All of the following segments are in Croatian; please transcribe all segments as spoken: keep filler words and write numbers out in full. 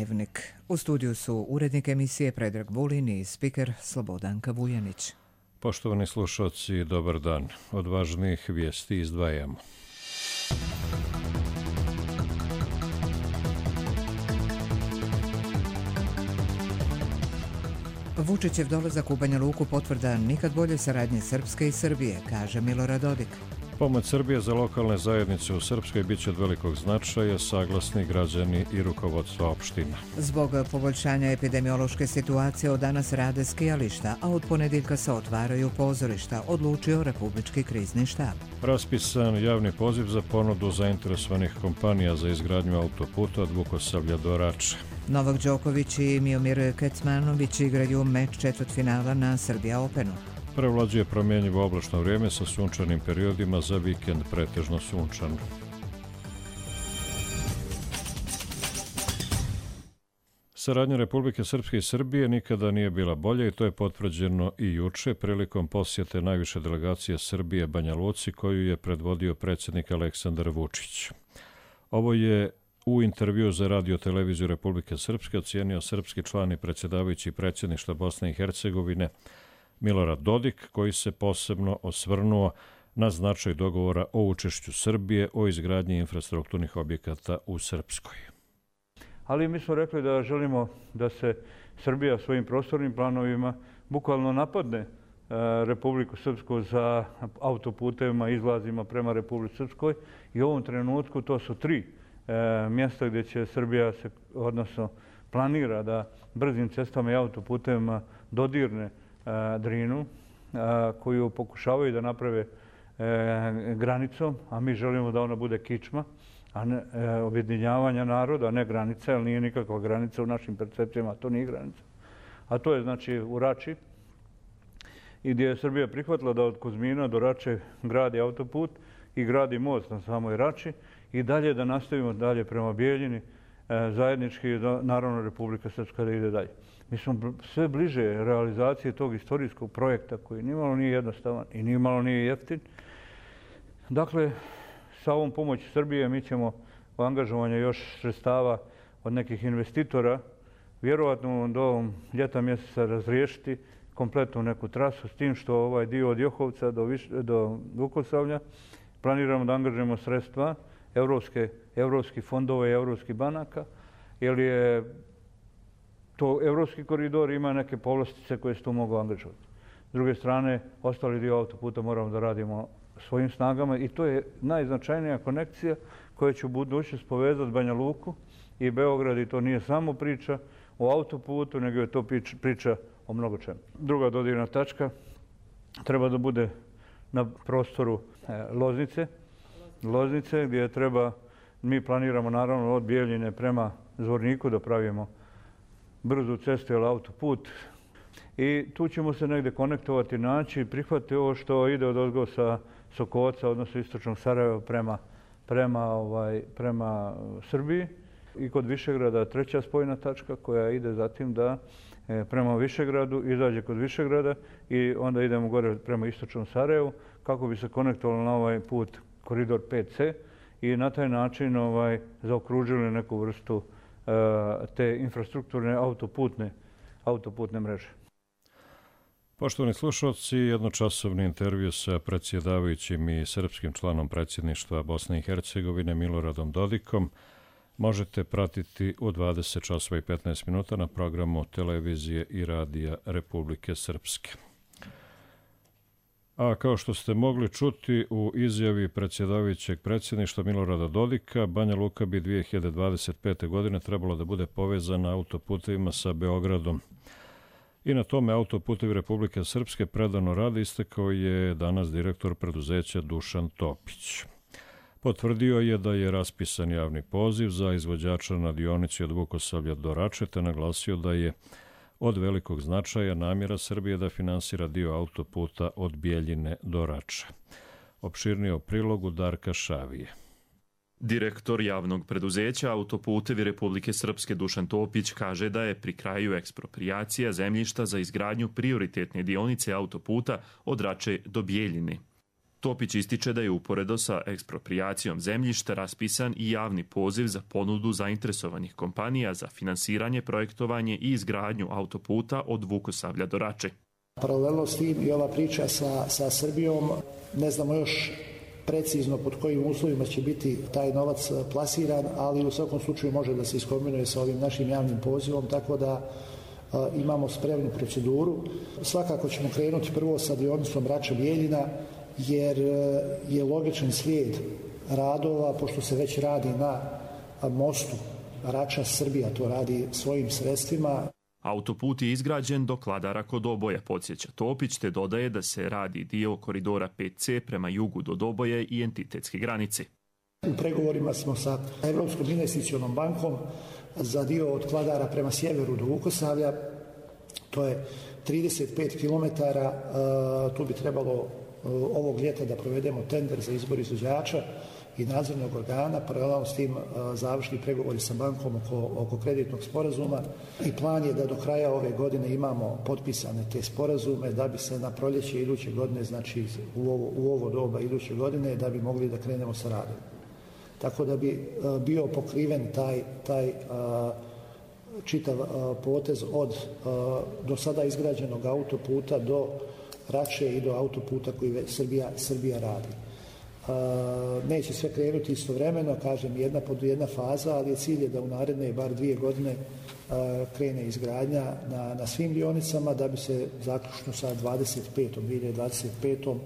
Dnevnik. U studiju su urednik emisije Predrag Vulin i spiker Slobodanka Vujanić. Poštovani slušalci, dobar dan. Od važnijih vijesti izdvajamo. Vučićev dolazak u Banja Luku potvrda nikad bolje saradnje Srpske i Srbije, kaže Milorad Dodik. Pomoć Srbije za lokalne zajednice u Srpskoj bit će od velikog značaja, saglasni građani i rukovodstva opština. Zbog poboljšanja epidemiološke situacije od danas rade skijališta, a od ponedjeljka se otvaraju pozorišta, odlučio Republički krizni štab. Raspisan javni poziv za ponudu zainteresovanih kompanija za izgradnju autoputa od Vukosavlja do Rače. Novak Đoković i Miomir Kecmanović igraju meč četvrtfinala na Srbija Openu. Prevlađuje promjenjivo oblačno vrijeme sa sunčanim periodima, za vikend pretežno sunčan. Saradnja Republike Srpske i Srbije nikada nije bila bolja i to je potvrđeno i juče prilikom posjete najviše delegacije Srbije Banja Luci koju je predvodio predsjednik Aleksandar Vučić. Ovo je u intervju za radio televiziju Republike Srpske ocijenio srpski član i predsjedavajući predsjedništva Bosne i Hercegovine Milorad Dodik, koji se posebno osvrnuo na značaj dogovora o učešću Srbije o izgradnji infrastrukturnih objekata u Srpskoj. Ali mi smo rekli da želimo da se Srbija svojim prostornim planovima bukvalno napadne Republiku Srpsku za autoputevima, izlazima prema Republici Srpskoj i u ovom trenutku to su tri mjesta gdje će Srbija se, odnosno planira da brzim cestama i autoputevima dodirne Drinu, koju pokušavaju da naprave granicom, a mi želimo da ona bude kičma, a ne objedinjavanja naroda, a ne granica, jer nije nikakva granica u našim percepcijama, to nije granica. A to je znači u Rači, i gdje je Srbija prihvatila da od Kuzmina do Rače gradi autoput i gradi most na samoj Rači i dalje da nastavimo dalje prema Bijeljini, zajednički, naravno Republika Srpska da ide dalje. Mi smo sve bliže realizacije tog istorijskog projekta koji nimalo nije jednostavan i nimalo nije jeftin. Dakle, sa ovom pomoći Srbije mi ćemo u angažovanju još sredstava od nekih investitora vjerovatno do ovom ljeta mjeseca razriješiti kompletnu neku trasu, s tim što ovaj dio od Johovca do, Viš, do Vukosavlja planiramo da angažujemo sredstva evropske, evropskih fondova i evropskih banaka, jer je to evropski koridor, ima neke povlastice koje se tu mogu angažovati. S druge strane, ostali dio autoputa moramo da radimo svojim snagama i to je najznačajnija konekcija koja će u budućnosti povezati Banja Luku i Beograd, i to nije samo priča o autoputu, nego je to priča o mnogo čemu. Druga dodirna tačka treba da bude na prostoru Loznice, Loznice gdje treba, mi planiramo naravno od Bijeljine prema Zvorniku da pravimo brzu cestu ili autoput i tu ćemo se negdje konektovati, naći, prihvatiti ovo što ide od ozgo sa Sokovaca, odnosno istočnog Sarajeva prema, prema, ovaj, prema Srbiji, i kod Višegrada treća spojna tačka koja ide zatim da e, prema Višegradu izađe kod Višegrada i onda idemo gore prema istočnom Sarajevu kako bi se konektovalo na ovaj put koridor pet ce i na taj način ovaj, zaokružili neku vrstu te infrastrukturne autoputne, autoputne mreže. Poštovani slušalci, jednočasovni intervju sa predsjedavajućim i srpskim članom predsjedništva Bosne i Hercegovine Miloradom Dodikom možete pratiti u dvadeset časova i petnaest minuta na programu televizije i radija Republike Srpske. A kao što ste mogli čuti u izjavi predsjedavajućeg predsjedništva Milorada Dodika, Banja Luka bi dvije hiljade dvadeset pete. godine trebalo da bude povezana autoputevima sa Beogradom. I na tome autoputevi Republike Srpske predano rade, istakao je danas direktor preduzeća Dušan Topić. Potvrdio je da je raspisan javni poziv za izvođača na dionici od Vukosavlja do Rače, te naglasio da je od velikog značaja namjera Srbije da finansira dio autoputa od Bijeljine do Rače. Opširnije o prilogu Darka Šavije. Direktor javnog preduzeća Autoputevi Republike Srpske Dušan Topić kaže da je pri kraju eksproprijacija zemljišta za izgradnju prioritetne dionice autoputa od Rače do Bijeljine. Topić ističe da je uporedo sa eksproprijacijom zemljišta raspisan i javni poziv za ponudu zainteresovanih kompanija za finansiranje, projektovanje i izgradnju autoputa od Vukosavlja do Rače. Paralelno s tim i ova priča sa, sa Srbijom, ne znamo još precizno pod kojim uslovima će biti taj novac plasiran, ali u svakom slučaju može da se iskombinuje sa ovim našim javnim pozivom, tako da a, imamo spremnu proceduru. Svakako ćemo krenuti prvo sa dionicom Rača-Bijeljina, jer je logičan slijed radova, pošto se već radi na mostu Rača-Srbija, to radi svojim sredstvima. Autoput je izgrađen do Kladara kod Doboja, podsjeća Topić, te dodaje da se radi dio koridora pet ce prema jugu do Doboje i entitetske granice. U pregovorima smo sa Evropskom investicionom bankom za dio od Kladara prema sjeveru do Vukosavlja. To je trideset pet kilometara, tu bi trebalo ovog ljeta da provedemo tender za izbor izvođača i nadzornog organa, paralelno s tim završni pregovori sa bankom oko, oko kreditnog sporazuma i plan je da do kraja ove godine imamo potpisane te sporazume da bi se na proljeće iduće godine, znači u ovo, u ovo doba iduće godine, da bi mogli da krenemo sa radom. Tako da bi bio pokriven taj, taj čitav potez od do sada izgrađenog autoputa do Rače i do autoputa koji Srbija, Srbija radi. Neće sve krenuti istovremeno, kažem, jedna pod jedna faza, ali je cilj je da u naredne bar dvije godine krene izgradnja na, na svim dionicama da bi se zaključno sa dvadeset petom dvije hiljade dvadeset petom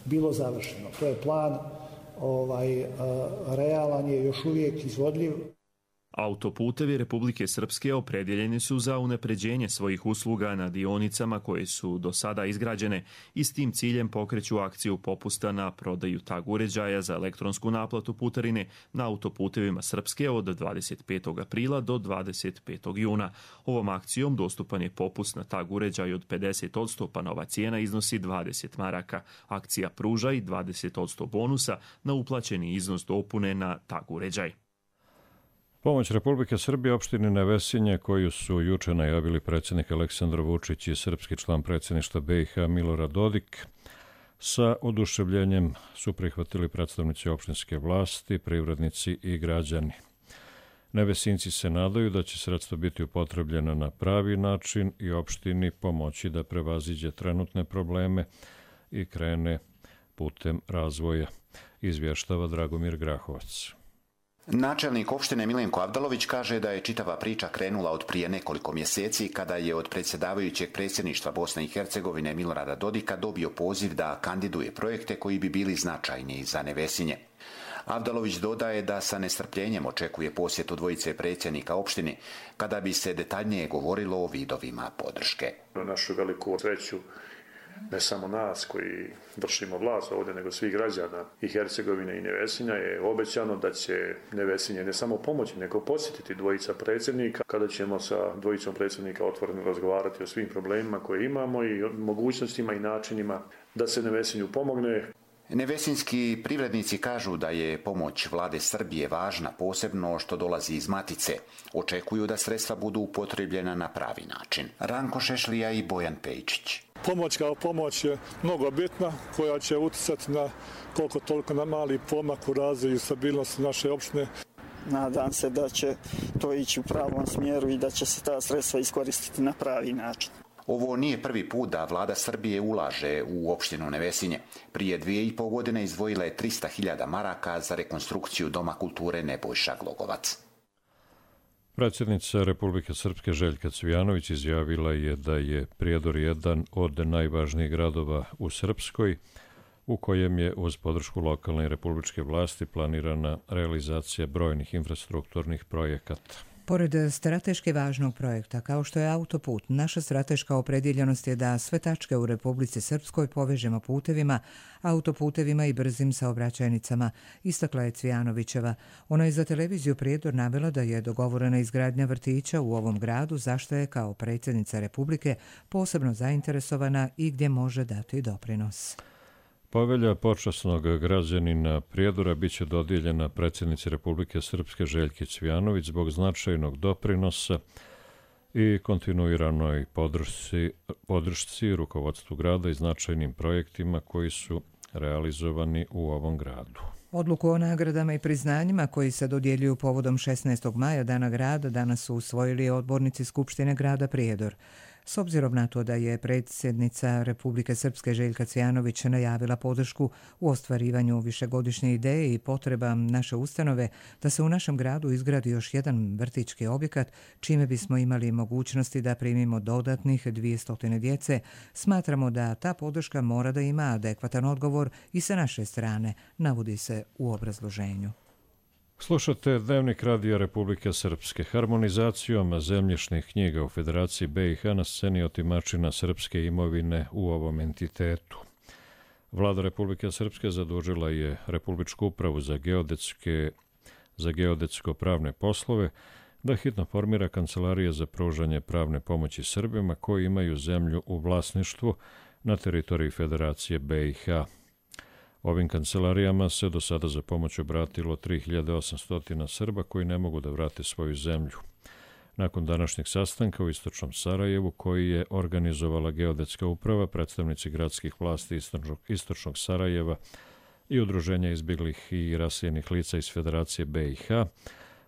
bilo završeno. To je plan, ovaj, realan je, još uvijek izvodljiv. Autoputevi Republike Srpske opredjeljeni su za unapređenje svojih usluga na dionicama koje su do sada izgrađene i s tim ciljem pokreću akciju popusta na prodaju tag uređaja za elektronsku naplatu putarine na autoputevima Srpske od dvadeset petog aprila do dvadeset petog juna. Ovom akcijom dostupan je popust na tag uređaj od pedeset odsto, pa nova cijena iznosi dvadeset maraka. Akcija pruža i dvadeset odsto bonusa na uplaćeni iznos dopune na tag uređaj. Pomoć Republike Srbije opštini Nevesinje, koju su juče najavili predsjednik Aleksandar Vučić i srpski član predsjedništva be i ha Milorad Dodik, sa oduševljenjem su prihvatili predstavnici opštinske vlasti, privrednici i građani. Nevesinci se nadaju da će sredstva biti upotrebljena na pravi način i opštini pomoći da prevaziđe trenutne probleme i krene putem razvoja, izvještava Dragomir Grahovac. Načelnik opštine Milenko Avdalović kaže da je čitava priča krenula od prije nekoliko mjeseci kada je od predsjedavajućeg predsjedništva Bosne i Hercegovine Milorada Dodika dobio poziv da kandiduje projekte koji bi bili značajni za Nevesinje. Avdalović dodaje da sa nestrpljenjem očekuje posjetu dvojice predsjednika opštine kada bi se detaljnije govorilo o vidovima podrške. Na našu veliku sreću ne samo nas koji vršimo vlast ovdje, nego svih građana i Hercegovine i Nevesinja je obećano da će Nevesinje ne samo pomoći, nego posjetiti dvojica predsjednika, kada ćemo sa dvojicom predsjednika otvoreno razgovarati o svim problemima koje imamo i o mogućnostima i načinima da se Nevesinju pomogne. Nevesinski privrednici kažu da je pomoć vlade Srbije važna, posebno što dolazi iz Matice. Očekuju da sredstva budu upotrebljena na pravi način. Ranko Šešlija i Bojan Pejčić. Pomoć kao pomoć je mnogo bitna, koja će utjecati na koliko toliko na mali pomak u razvoju i stabilnosti naše opštine. Nadam se da će to ići u pravom smjeru i da će se ta sredstva iskoristiti na pravi način. Ovo nije prvi put da vlada Srbije ulaže u opštinu Nevesinje. Prije dvije i pol godine izdvojila je trista hiljada maraka za rekonstrukciju Doma kulture Nebojša Glogovac. Predsjednica Republike Srpske Željka Cvijanović izjavila je da je Prijedor jedan od najvažnijih gradova u Srpskoj, u kojem je uz podršku lokalne i republičke vlasti planirana realizacija brojnih infrastrukturnih projekata. Pored strateški važnog projekta, kao što je autoput, naša strateška opredjeljenost je da sve tačke u Republici Srpskoj povežemo putevima, autoputevima i brzim saobraćajnicama, istakla je Cvijanovićeva. Ona je za televiziju Prijedor navela da je dogovorena izgradnja vrtića u ovom gradu, zašto je kao predsjednica Republike posebno zainteresovana i gdje može dati doprinos. Povelja počasnog građanina Prijedora biće dodijeljena predsjednici Republike Srpske Željki Cvijanović zbog značajnog doprinosa i kontinuiranoj podršci, podršci rukovodstvu grada i značajnim projektima koji su realizovani u ovom gradu. Odluku o nagradama i priznanjima koji se dodjeljuju povodom šesnaestog maja, Dana grada, danas su usvojili odbornici Skupštine grada Prijedor. S obzirom na to da je predsjednica Republike Srpske Željka Cvijanović najavila podršku u ostvarivanju višegodišnje ideje i potreba naše ustanove da se u našem gradu izgradi još jedan vrtićki objekat, čime bismo imali mogućnosti da primimo dodatnih dvjesto djece, smatramo da ta podrška mora da ima adekvatan odgovor i sa naše strane, navodi se u obrazloženju. Slušate Dnevnik Radija Republike Srpske. Harmonizacijom zemljišnih knjiga u Federaciji B i H na sceni otimačina srpske imovine u ovom entitetu. Vlada Republike Srpske zadužila je Republičku upravu za geodetske, za geodetsko-pravne poslove da hitno formira kancelarije za pružanje pravne pomoći Srbima koji imaju zemlju u vlasništvu na teritoriji Federacije B i H. Ovim kancelarijama se do sada za pomoć obratilo tri hiljade osamsto Srba koji ne mogu da vrate svoju zemlju. Nakon današnjeg sastanka u istočnom Sarajevu, koji je organizovala geodetska uprava, predstavnici gradskih vlasti istočnog, istočnog Sarajeva i udruženja izbjeglih i raseljenih lica iz Federacije B i H,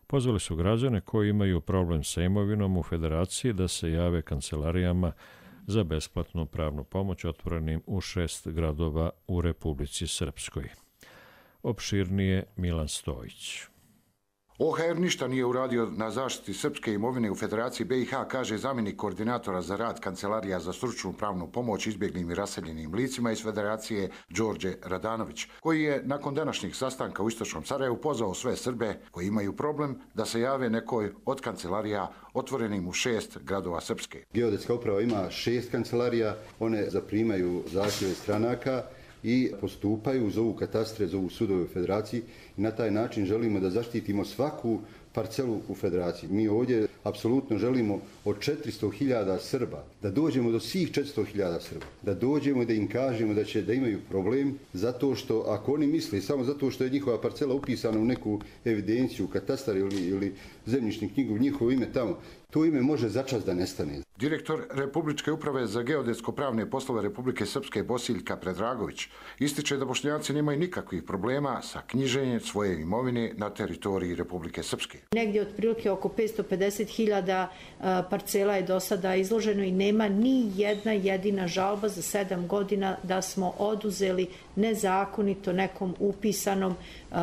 pozvali su građane koji imaju problem sa imovinom u Federaciji da se jave kancelarijama za besplatnu pravnu pomoć otvorenim u šest gradova u Republici Srpskoj. Opširnije Milan Stojić. O H R ništa nije uradio na zaštiti srpske imovine u Federaciji B i H, kaže zamjenik koordinatora za rad Kancelarija za stručnu pravnu pomoć izbjeglim i raseljenim licima iz Federacije Đorđe Radanović, koji je nakon današnjeg sastanka u istočnom Sarajevu pozvao sve Srbe koji imaju problem da se jave nekoj od kancelarija otvorenim u šest gradova Srpske. Geodetska uprava ima šest kancelarija, one zaprimaju zahtjeve stranaka i postupaju, zovu katastre, zovu sudove u Federaciji i na taj način želimo da zaštitimo svaku parcelu u Federaciji. Mi ovdje apsolutno želimo od četiristo hiljada Srba da dođemo do svih četiristo hiljada Srba, da dođemo da im kažemo da će da imaju problem zato što ako oni misle samo zato što je njihova parcela upisana u neku evidenciju, katastar ili, ili zemljišnu knjigu, njihovo ime tamo, to ime može začas da nestane. Direktor Republičke uprave za geodetsko-pravne poslove Republike Srpske Bosiljka Predragović ističe da Bošnjaci nemaju nikakvih problema sa knjiženjem svoje imovine na teritoriji Republike Srpske. Negdje otprilike oko petsto pedeset hiljada parcela je do sada izloženo i nema ni jedna jedina žalba za sedam godina da smo oduzeli nezakonito nekom upisanom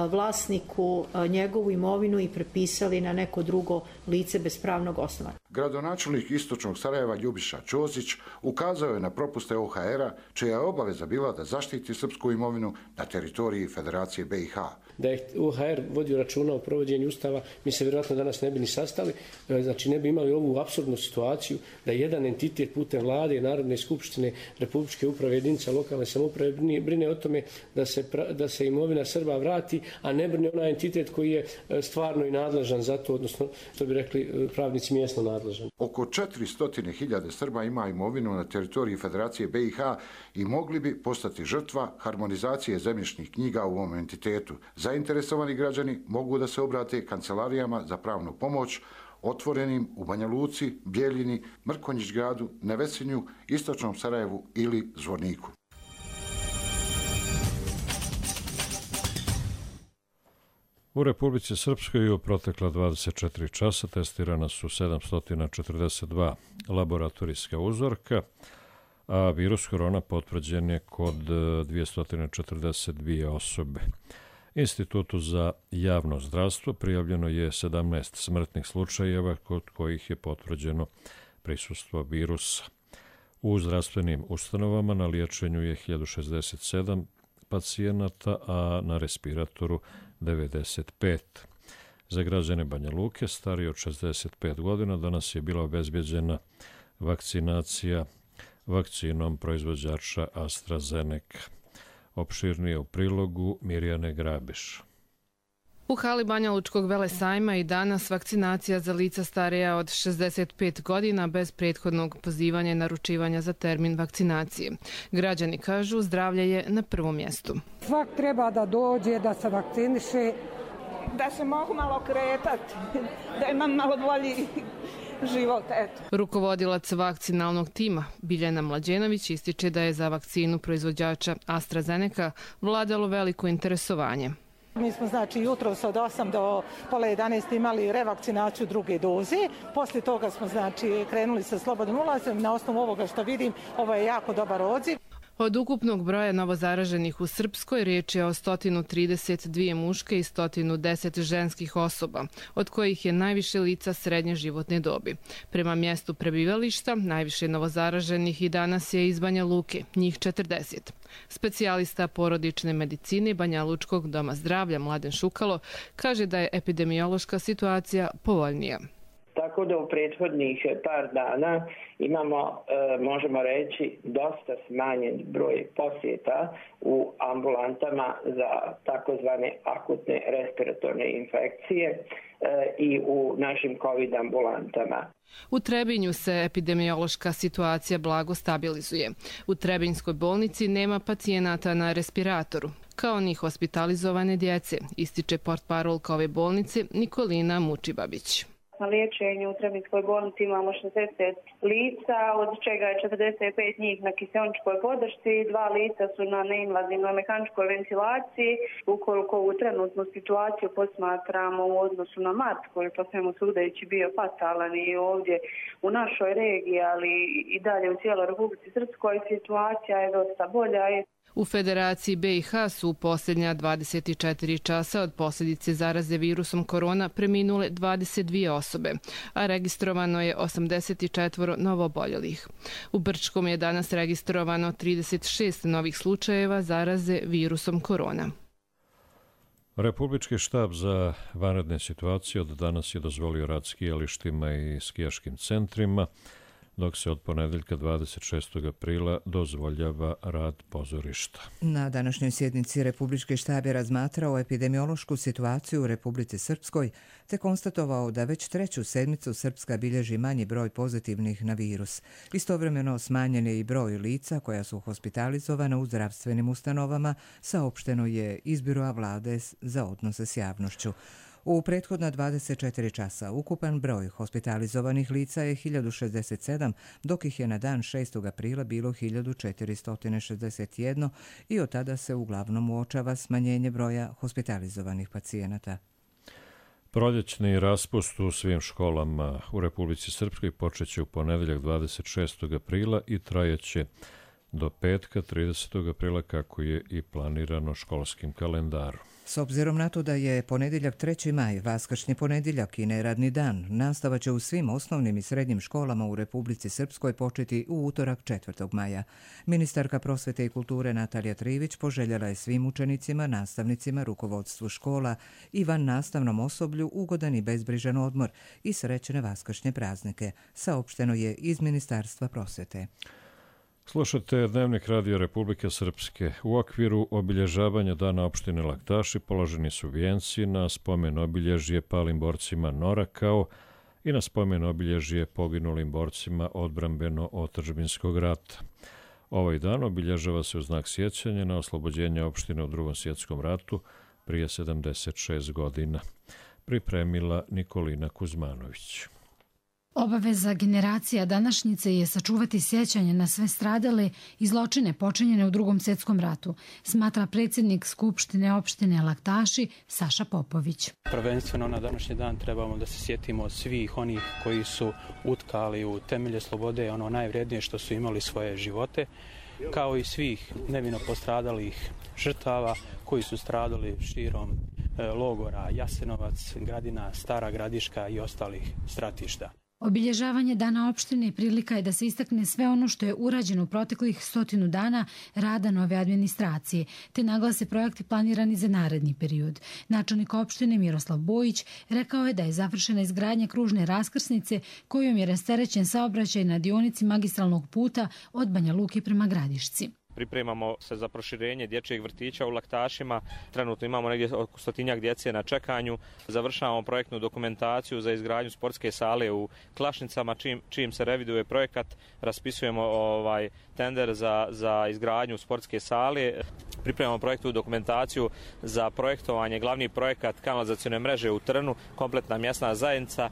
vlasniku njegovu imovinu i prepisali na neko drugo lice bez pravnog osnova. Gradonačelnik istočnog Sarajeva Ljubiša Ćosić ukazao je na propuste O H R-a, čija je obaveza bila da zaštiti srpsku imovinu na teritoriji Federacije B i H. Da je O H R vodio računa o provođenju ustava, mi se vjerojatno danas ne bi ni sastali, znači ne bi imali ovu apsurdnu situaciju da jedan entitet putem vlade i Narodne skupštine, Republičke uprave, jedinica lokalne samouprave brine o tome da se, da se imovina Srba vrati, a ne brine onaj entitet koji je stvarno i nadležan za to, odnosno, što bi rekli pravnici, mjesno nadležan. Oko četiristo hiljada Srba ima imovinu na teritoriji Federacije B i H i mogli bi postati žrtva harmonizacije zemljišnih knjiga u ovom entitetu. Zainteresovani građani mogu da se obrate kancelarijama za pravnu pomoć otvorenim u Banja Luci, Bijeljini, Mrkonjić gradu, Nevesinju, Istočnom Sarajevu ili Zvorniku. U Republici Srpskoj u protekla dvadeset četiri časa testirana su sedamsto četrdeset dva laboratorijska uzorka, a virus korona potvrđen je kod dvjesto četrdeset dvije osobe. Institutu za javno zdravstvo prijavljeno je sedamnaest smrtnih slučajeva kod kojih je potvrđeno prisustvo virusa. U zdravstvenim ustanovama na liječenju je hiljadu šezdeset sedam pacijenata, a na respiratoru devedeset pet. Za građane Banja Luke starije od šezdeset pet godina danas je bila obezbjeđena vakcinacija vakcinom proizvođača AstraZeneca. Opširnije u prilogu Mirjane Grabiš. U hali Banja Lučkog velesajma i danas vakcinacija za lica starija od šezdeset pet godina bez prethodnog pozivanja i naručivanja za termin vakcinacije. Građani kažu zdravlje je na prvom mjestu. Svak treba da dođe, da se vakciniše, da se mogu malo kretati, da imam malo bolji život. Eto. Rukovodilac vakcinalnog tima Biljana Mlađenović ističe da je za vakcinu proizvođača AstraZeneca vladalo veliko interesovanje. Mi smo znači jutros od osam do pola jedanaest imali revakcinaciju druge doze. Poslije toga smo znači krenuli sa slobodnim ulazom. Na osnovu ovoga što vidim, ovo je jako dobar odziv. Od ukupnog broja novozaraženih u Srpskoj riječ je o sto trideset dvije muške i sto deset ženskih osoba, od kojih je najviše lica srednje životne dobi. Prema mjestu prebivališta, najviše novozaraženih i danas je iz Banja Luke, njih četrdeset. Specijalista porodične medicine Banja Lučkog doma zdravlja Mladen Šukalo kaže da je epidemiološka situacija povoljnija. Tako da u prethodnih par dana imamo, e, možemo reći, dosta smanjen broj posjeta u ambulantama za takozvane akutne respiratorne infekcije e, i u našim COVID ambulantama. U Trebinju se epidemiološka situacija blago stabilizuje. U Trebinjskoj bolnici nema pacijenata na respiratoru, kao ni hospitalizovane djece, ističe portparolka ove bolnice Nikolina Mučibabić. Na liječenju u Trebinjskoj bolnici imamo šezdeset lica, od čega je četrdeset pet njih na kiseoničkoj podršci, dva lica su na neinvazivnoj mehaničkoj ventilaciji. Ukoliko u trenutnu situaciju posmatramo u odnosu na mart, koji je po svemu sudeći bio fatalan i ovdje u našoj regiji, ali i dalje u cijeloj Republici Srpskoj, situacija je dosta bolja. U Federaciji B i H su u posljednja dvadeset četiri časa od posljedice zaraze virusom korona preminule dvadeset dvije osobe, a registrovano je osamdeset četiri novooboljelih. U Brčkom je danas registrovano trideset šest novih slučajeva zaraze virusom korona. Republički štab za vanredne situacije od danas je dozvolio rad skijalištima i skijaškim centrima, dok se od ponedeljka dvadeset šestog aprila dozvoljava rad pozorišta. Na današnjoj sjednici Republički štab je razmatrao epidemiološku situaciju u Republici Srpskoj te konstatovao da već treću sedmicu Srpska bilježi manji broj pozitivnih na virus. Istovremeno smanjen je i broj lica koja su hospitalizovana u zdravstvenim ustanovama, saopšteno je iz Biroa vlade za odnose s javnošću. U prethodna dvadeset četiri časa ukupan broj hospitalizovanih lica je hiljadu šezdeset sedam, dok ih je na dan šestog aprila bilo hiljadu četiristo šezdeset jedan i od tada se uglavnom uočava smanjenje broja hospitalizovanih pacijenata. Proljećni raspust u svim školama u Republici Srpskoj počeće u ponedeljak dvadeset šestog aprila i trajeće do petka tridesetog aprila kako je i planirano školskim kalendarom. S obzirom na to da je ponedjeljak treći maj, vaskršnji ponedjeljak i neradni dan, nastava će u svim osnovnim i srednjim školama u Republici Srpskoj početi u utorak četvrtog maja. Ministarka prosvete i kulture Natalija Trivić poželjela je svim učenicima, nastavnicima, rukovodstvu škola i van nastavnom osoblju ugodan i bezbrižan odmor i srećne vaskršnje praznike, saopšteno je iz Ministarstva prosvete. Slušate Dnevnik Radio Republike Srpske. U okviru obilježavanja Dana opštine Laktaši položeni su vijenci na spomen obilježje palim borcima Nora kao i na spomen obilježje poginulim borcima odbrambeno-otadžbinskog rata. Ovaj dan obilježava se u znak sjećanja na oslobođenje opštine u Drugom svjetskom ratu prije sedamdeset šest godina. Pripremila Nikolina Kuzmanović. Obaveza generacija današnjice je sačuvati sjećanje na sve stradale i zločine počinjene u Drugom svjetskom ratu, smatra predsjednik Skupštine opštine Laktaši Saša Popović. Prvenstveno na današnji dan trebamo da se sjetimo svih onih koji su utkali u temelje slobode ono najvrednije što su imali svoje živote, kao i svih nevino postradalih žrtava koji su stradali širom logora Jasenovac, Gradina, Stara Gradiška i ostalih stratišta. Obilježavanje Dana opštine prilika je da se istakne sve ono što je urađeno u proteklih stotinu dana rada nove administracije, te naglase projekti planirani za naredni period. Načelnik opštine Miroslav Bojić rekao je da je završena izgradnja kružne raskrsnice kojom je rasterećen saobraćaj na dionici magistralnog puta od Banja Luke prema Gradišci. Pripremamo se za proširenje dječjeg vrtića u Laktašima. Trenutno imamo negdje oko stotinjak djece na čekanju. Završavamo projektnu dokumentaciju za izgradnju sportske sale u Klašnicama. Čim, čim se reviduje projekat, raspisujemo ovaj tender za, za izgradnju sportske sale. Pripremamo projektnu dokumentaciju za projektovanje, glavni projekat kanalizacione mreže u Trnu, kompletna mjesna zajednica.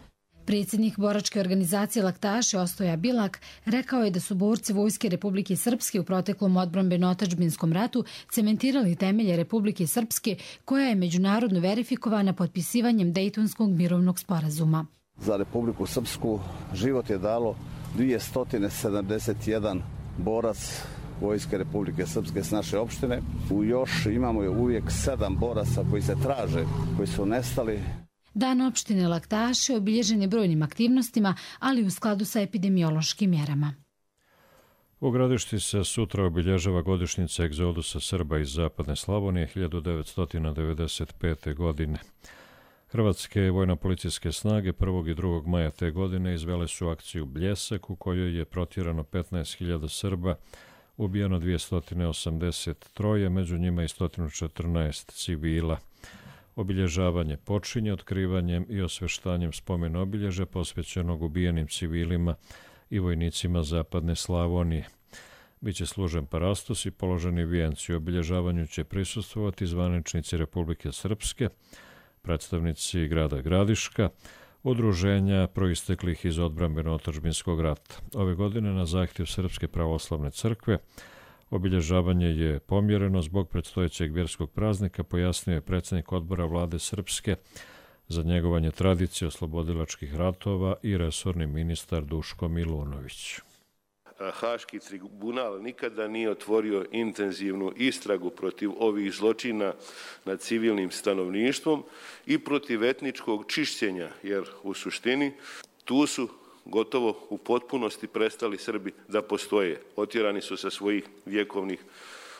Predsjednik boračke organizacije Laktaši Ostoja Bilak rekao je da su borci Vojske Republike Srpske u proteklom odbrambeno-otadžbinskom ratu cementirali temelje Republike Srpske, koja je međunarodno verifikovana potpisivanjem Dejtonskog mirovnog sporazuma. Za Republiku Srpsku život je dalo dvjesto sedamdeset jedan borac Vojske Republike Srpske s naše opštine. U još imamo uvijek sedam boraca koji se traže, koji su nestali. Dan opštine Laktaši obilježen je brojnim aktivnostima, ali u skladu sa epidemiološkim mjerama. U Gradišti se sutra obilježava godišnjica egzodusa Srba iz Zapadne Slavonije hiljadu devetsto devedeset pete. godine. Hrvatske vojno-policijske snage prvog i drugog maja te godine izvele su akciju Bljesak, u kojoj je protjerano petnaest hiljada Srba, ubijeno dvjesto osamdeset tri, među njima i sto četrnaest civila. Obilježavanje počinje otkrivanjem i osveštanjem spomen obilježja posvećenog ubijenim civilima i vojnicima Zapadne Slavonije. Biće služen parastos i položeni vijenci. U obilježavanju će prisustvovati zvaničnici Republike Srpske, predstavnici grada Gradiška, udruženja proisteklih iz odbrambeno-otadžbinskog rata. Ove godine na zahtjev Srpske pravoslavne crkve obilježavanje je pomjereno zbog predstojećeg vjerskog praznika, pojasnio je predsjednik odbora vlade Srpske za njegovanje tradicije oslobodilačkih ratova i resorni ministar Duško Milunović. Haški tribunal nikada nije otvorio intenzivnu istragu protiv ovih zločina nad civilnim stanovništvom i protiv etničkog čišćenja, jer u suštini tu su gotovo u potpunosti prestali Srbi da postoje. Otjerani su sa svojih vjekovnih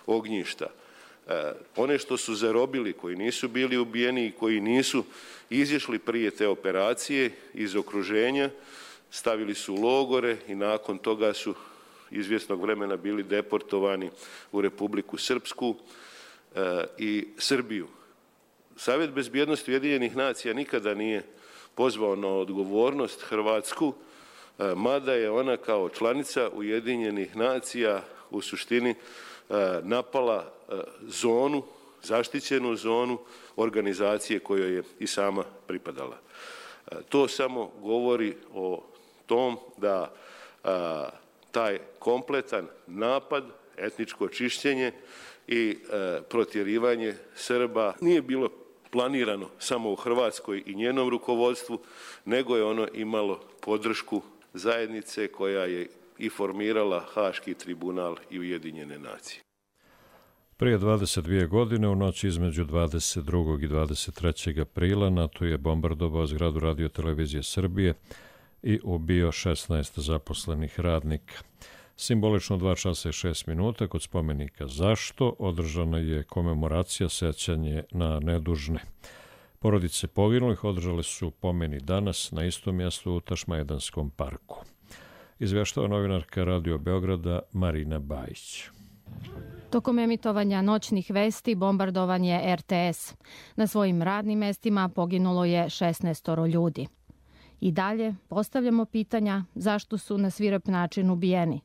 ognjišta. E, one što su zarobili, koji nisu bili ubijeni i koji nisu izišli prije te operacije iz okruženja, stavili su u logore i nakon toga su izvjesnog vremena bili deportovani u Republiku Srpsku e, i Srbiju. Savjet bezbjednosti Ujedinjenih nacija nikada nije pozvao na odgovornost Hrvatsku, e, mada je ona kao članica Ujedinjenih nacija u suštini e, napala e, zonu, zaštićenu zonu organizacije kojoj je i sama pripadala. E, to samo govori o tom da a, taj kompletan napad, etničko čišćenje i e, protjerivanje Srba nije bilo planirano samo u Hrvatskoj i njenom rukovodstvu, nego je ono imalo podršku zajednice koja je i formirala Haški tribunal i Ujedinjene nacije. Prije dvadeset dvije godine, u noći između dvadeset drugog i dvadeset trećeg aprila, NATO je bombardovao zgradu Radio-televizije Srbije i ubio šesnaest zaposlenih radnika. Simbolično dva časa i šest minuta kod spomenika Zašto održana je komemoracija sećanje na nedužne. Porodice poginulih održale su pomeni danas na istom mjestu u Tašmajdanskom parku. Izvještava novinarka Radio Beograda Marina Bajić. Tokom emitovanja noćnih vesti bombardovan je er te es. Na svojim radnim mestima poginulo je šesnaest ljudi. I dalje postavljamo pitanja zašto su na svirep način ubijeni.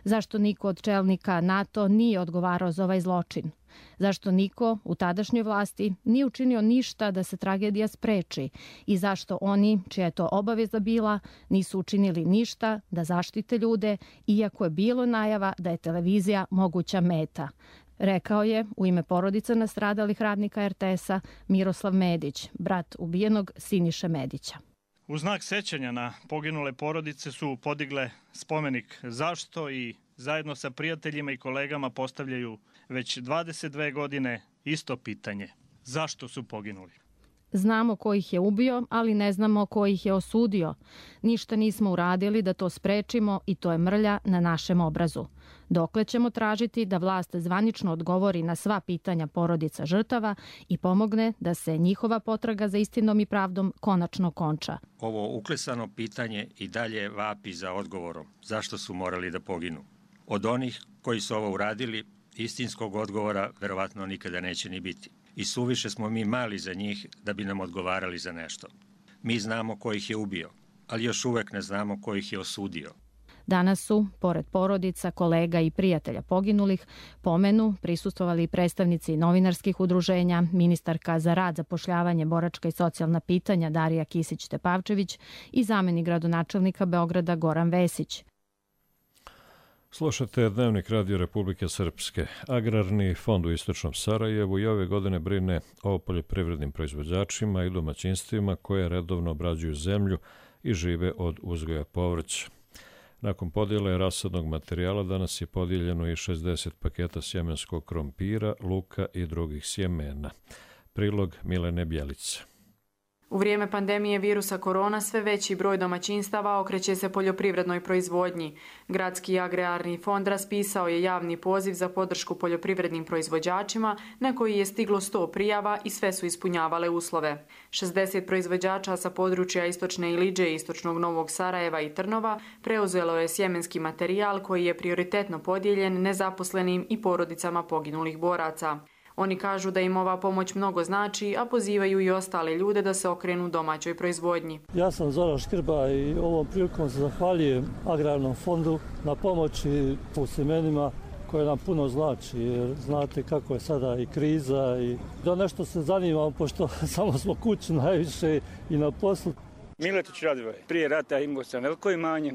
Zašto niko od čelnika NATO nije odgovarao za ovaj zločin? Zašto niko u tadašnjoj vlasti nije učinio ništa da se tragedija spreči? I zašto oni, čija je to obaveza bila, nisu učinili ništa da zaštite ljude, iako je bilo najava da je televizija moguća meta? Rekao je u ime porodica nastradalih radnika er te es-a Miroslav Medić, brat ubijenog Siniše Medića. U znak sećanja na poginule porodice su podigle spomenik Zašto i zajedno sa prijateljima i kolegama postavljaju već dvadeset dve godine isto pitanje. Zašto su poginuli? Znamo ko ih je ubio, ali ne znamo ko ih je osudio. Ništa nismo uradili da to sprečimo i to je mrlja na našem obrazu. Dokle ćemo tražiti da vlast zvanično odgovori na sva pitanja porodica žrtava i pomogne da se njihova potraga za istinom i pravdom konačno konča. Ovo uklesano pitanje i dalje vapi za odgovorom. Zašto su morali da poginu? Od onih koji su ovo uradili, istinskog odgovora verovatno nikada neće ni biti. I suviše smo mi mali za njih da bi nam odgovarali za nešto. Mi znamo ko ih je ubio, ali još uvek ne znamo ko ih je osudio. Danas su, pored porodica, kolega i prijatelja poginulih, pomenu prisustvovali i predstavnici novinarskih udruženja, ministarka za rad, zapošljavanje, boračka i socijalna pitanja Darija Kisić-Tepavčević i zamenik gradonačelnika Beograda Goran Vesić. Slušate Dnevnik Radio Republike Srpske. Agrarni fond u Istočnom Sarajevu i ove godine brine o poljoprivrednim proizvođačima i domaćinstvima koje redovno obrađuju zemlju i žive od uzgoja povrća. Nakon podjele rasadnog materijala danas je podijeljeno i šezdeset paketa sjemenskog krompira, luka i drugih sjemena. Prilog Milene Bjelice. U vrijeme pandemije virusa korona sve veći broj domaćinstava okreće se poljoprivrednoj proizvodnji. Gradski agrarni fond raspisao je javni poziv za podršku poljoprivrednim proizvođačima na koji je stiglo sto prijava i sve su ispunjavale uslove. šezdeset proizvođača sa područja Istočne Iliđe, Istočnog Novog Sarajeva i Trnova preuzelo je sjemenski materijal koji je prioritetno podijeljen nezaposlenim i porodicama poginulih boraca. Oni kažu da im ova pomoć mnogo znači, a pozivaju i ostale ljude da se okrenu domaćoj proizvodnji. Ja sam Zoran Škrba i ovom prilikom se zahvaljujem Agrarnom fondu na pomoći u sjemenima koje nam puno znači, jer znate kako je sada i kriza i da nešto se zanimamo, pošto samo smo kući najviše i na poslu. Miletić Radvoje, prije rata imao sam veliko imanje,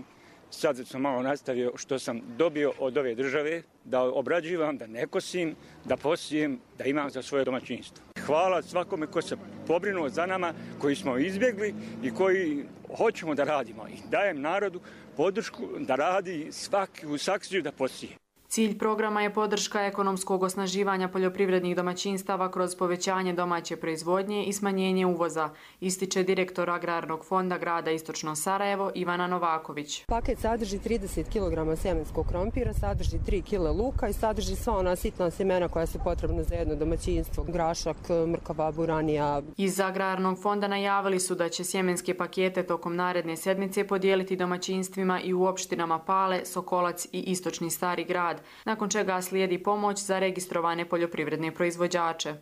sad sam malo nastavio što sam dobio od ove države, da obrađivam, da ne kosim, da posijem, da imam za svoje domaćinstvo. Hvala svakome ko se pobrinuo za nama, koji smo izbjegli i koji hoćemo da radimo. I dajem narodu podršku da radi svaki u saksiju da posije. Cilj programa je podrška ekonomskog osnaživanja poljoprivrednih domaćinstava kroz povećanje domaće proizvodnje i smanjenje uvoza, ističe direktor Agrarnog fonda grada Istočno Sarajevo Ivana Novaković. Paket sadrži trideset kilograma sjemenskog krompira, sadrži tri kile luka i sadrži sva ona sitna sjemena koja su potrebna za jedno domaćinstvo, grašak, mrkava, buranija. Iz Agrarnog fonda najavili su da će sjemenske pakete tokom naredne sedmice podijeliti domaćinstvima i u opštinama Pale, Sokolac i Istočni Stari grad, nakon čega slijedi pomoć za registrovane poljoprivredne proizvođače.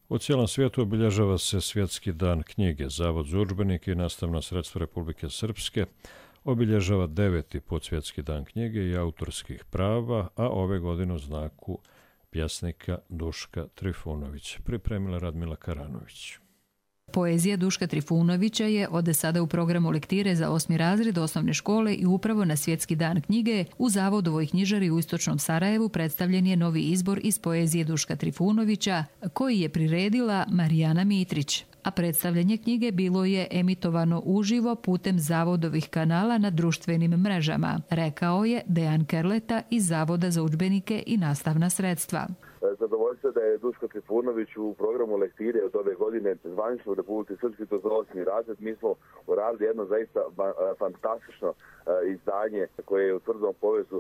U cijelom svijetu obilježava se Svjetski dan knjige. Zavod za udžbenike i nastavna sredstva Republike Srpske obilježava deveti put Svjetski dan knjige i autorskih prava, a ove godine u znaku pjesnika Duška Trifunovića. Pripremila Radmila Karanović. Poezija Duška Trifunovića je od sada u programu lektire za osmi razred osnovne škole i upravo na Svjetski dan knjige u Zavodovoj knjižari u Istočnom Sarajevu predstavljen je novi izbor iz poezije Duška Trifunovića koji je priredila Marijana Mitrić. A predstavljanje knjige bilo je emitovano uživo putem Zavodovih kanala na društvenim mrežama, rekao je Dejan Kerleta iz Zavoda za udžbenike i nastavna sredstva. Zadovoljstvo da je Duško Trifunović u programu lektire od ove godine zvanično u Republici Srpskoj, to za osmi razred. Mi smo uradili jedno zaista fantastično izdanje koje je u tvrdom povezu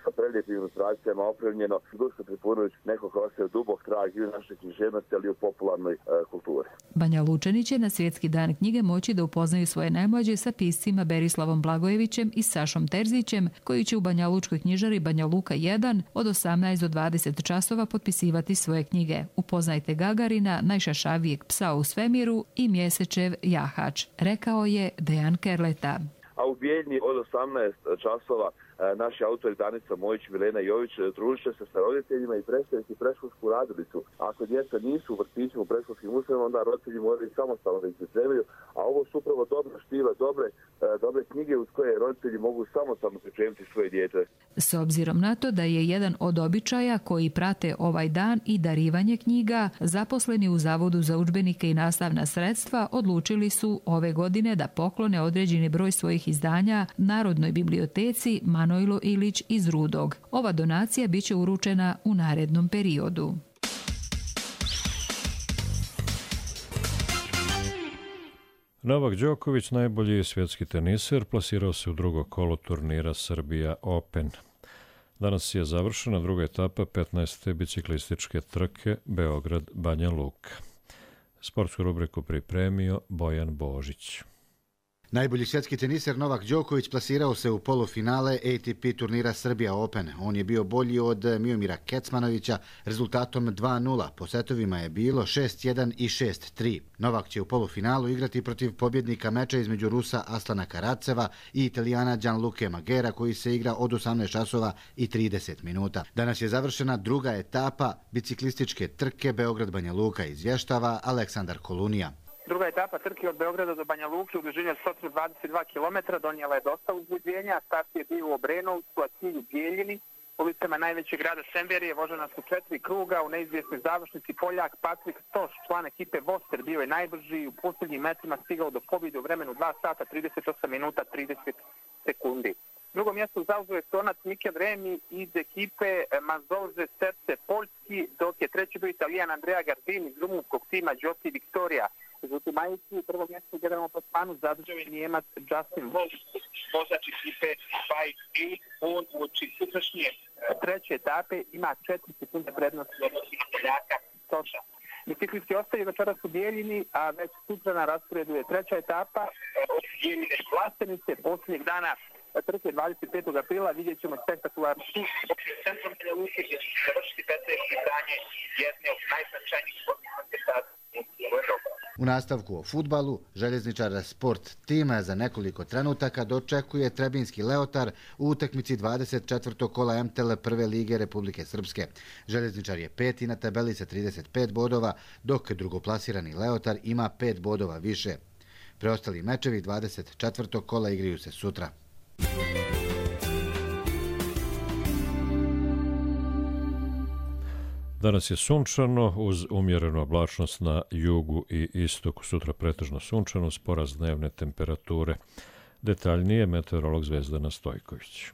sa prelijepim ilustracijama opremljeno. Duško Trifunović nekako ostaje dubok trag i u našoj književnosti, ali i u popularnoj kulturi. Banja Lučani će na Svjetski dan knjige moći da upoznaju svoje najmlađe sa piscima Berislavom Blagojevićem i Sašom Terzićem, koji će u Banja Lučkoj knjižari Banja Luka jedan od osamnaest do dvadeset časova potpisivati svoje knjige. Upoznajte Gagarina, najšašavijeg psa u svemiru i Mjesečev jahač, rekao je Dejan Kerleta. A u Bijeljni od osamnaest časova naši autori Danica Mojić, Milena Jović družit će se sa roditeljima i predstaviti predškolsku radilicu. Ako djeca nisu u vrtićima u predškolskim ustanovama, onda roditelji moraju samostalno da ih pripremaju, a ovo su upravo dobra štiva, dobre, dobre knjige uz koje roditelji mogu samostalno pripremiti svoje dijete. S obzirom na to da je jedan od običaja koji prate ovaj dan i darivanje knjiga, zaposleni u Zavodu za udžbenike i nastavna sredstva odlučili su ove godine da poklone određeni broj svojih izdanja Narodnoj biblioteci Manojlo Ilić iz Rudog. Ova donacija biće uručena u narednom periodu. Novak Đoković, najbolji svjetski teniser, plasirao se u drugo kolo turnira Srbija Open. Danas je završena druga etapa petnaeste biciklističke trke Beograd-Banja Luka. Sportsku rubriku pripremio Bojan Božić. Najbolji svjetski teniser Novak Đoković plasirao se u polufinale A T P turnira Serbia Open. On je bio bolji od Miomira Kecmanovića rezultatom dva nula. Po setovima je bilo šest jedan i šest tri. Novak će u polufinalu igrati protiv pobjednika meča između Rusa Aslana Karaceva i Italijana Gianluke Magera, koji se igra od osamnaest časova i trideset minuta. Danas je završena druga etapa biciklističke trke Beograd-Banja Luka, izvještava Aleksandar Kolunija. Druga etapa trke od Beograda do Banja Luke u dužini od sto dvadeset dva kilometra donijela je dosta uzbuđenja. Start je bio u Obrenovcu, a cilj u Bijeljini. Ulicama najvećeg grada Semverije vožena su četiri kruga. U neizvjesnoj završnici Poljak Patrik Stoš, član ekipe Voster, bio je najbrži i u posljednjim metrima stigao do pobjede u vremenu dva sata trideset osam minuta trideset sekundi. Drugo mjesto zauzeo je Estonac Mikel Remi iz ekipe Mazovze Serce Poljski, dok je treći bio Italijan Andrea Gardini iz rumunskog tima Giossi Victoria. Međutim, majici u prvom mjestu u generalnom plasmanu zadržao je Nijemac Justin Wolf, vozač ekipe Bike A. On uoči sutrašnje treće etape ima četiri sekunde prednosti u odnosu na Poljaka Stoša. Biciklisti ostaju večeras u Bijeljini, a već sutra na rasporedu je treća etapa od Bijeljine i Vlastenice. Posljednjeg dana trke dvadeset petog aprila vidjet ćemo spektakularnu u centrum Banja Luke, gdje će se završiti petnaesto izdanje jedne od najznačajnijih sportskih manifestacija u Evropi. U nastavku o fudbalu, željezničar Sport tima za nekoliko trenutaka dočekuje Trebinski Leotar u utakmici dvadeset četvrtog kola M T L prve lige Republike Srpske. Željezničar je peti na tabeli sa trideset pet bodova, dok drugoplasirani Leotar ima pet bodova više. Preostali mečevi dvadeset četvrtog kola igraju se sutra. Danas je sunčano uz umjerenu oblačnost na jugu i istoku. Sutra pretežno sunčano uz porast dnevne temperature. Detaljnije meteorolog Zvezdana Stojković.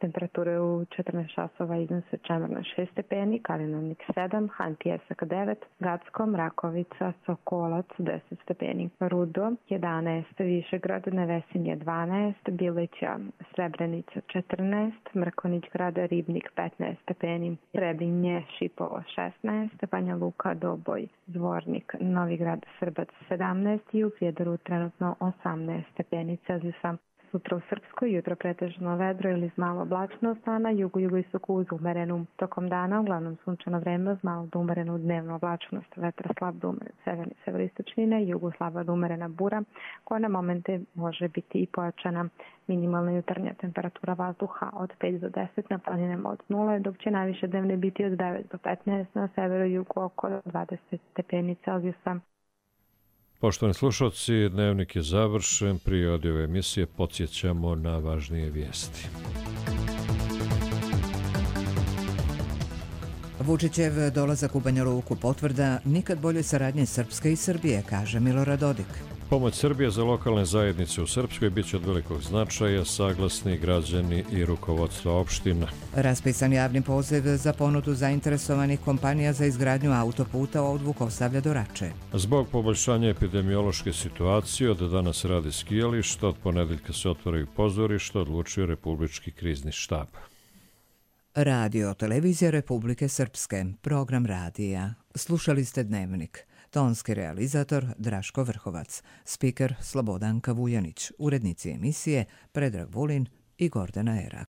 Temperature u četrnaest časova iznose Čemerna šest stepeni, Kalinovnik sedam, Han Pijesak devet, Gacko, Mrakovica, Sokolac deset stepeni, Rudo jedanaest, Višegrad, Nevesinje dvanaest, Bilića, Srebrenica četrnaest, Mrkonić grad, Ribnik petnaest stepeni, Trebinje, Šipovo šesnaest, Banja Luka, Doboj, Zvornik, Novigrad, Srbac sedamnaest i u Prijedoru trenutno osamnaest stepeni Celzijusa. Sutra u Srpskoj jutro pretežno vedro ili s malo oblačnost, a na jugu jugoistoku uz umerenu. Tokom dana uglavnom sunčano vreme uz malo do umerenu dnevnu oblačnost. Vetra slab do umeren severni severistočnine, jugu slaba do umerena bura, koja na momente može biti i pojačana. Minimalna jutarnja temperatura vazduha od pet do deset, na planinama od nula, dok će najviše dnevne biti od devet do petnaest, na severu i jugu oko dvadeset stepeni Celzijusa. Poštovani slušalci, dnevnik je završen. Prije odjave emisije podsjećamo na važnije vijesti. Vučićev dolazak u Banja Luku potvrda nikad bolje saradnje Srpske i Srbije, kaže Milorad Dodik. Pomoć Srbije za lokalne zajednice u Srpskoj bit će od velikog značaja, saglasni građani i rukovodstva opština. Raspisan javni poziv za ponudu zainteresovanih kompanija za izgradnju autoputa od Vukovsavlja do Rače. Zbog poboljšanja epidemiološke situacije od danas radi skijališta, od ponedeljka se otvaraju pozorišta, odlučio Republički krizni štab. Radio Televizija Republike Srpske, program radija. Slušali ste Dnevnik. Tonski realizator Draško Vrhovac, spiker Slobodanka Vujanić, urednici emisije Predrag Vulin i Gordana Erak.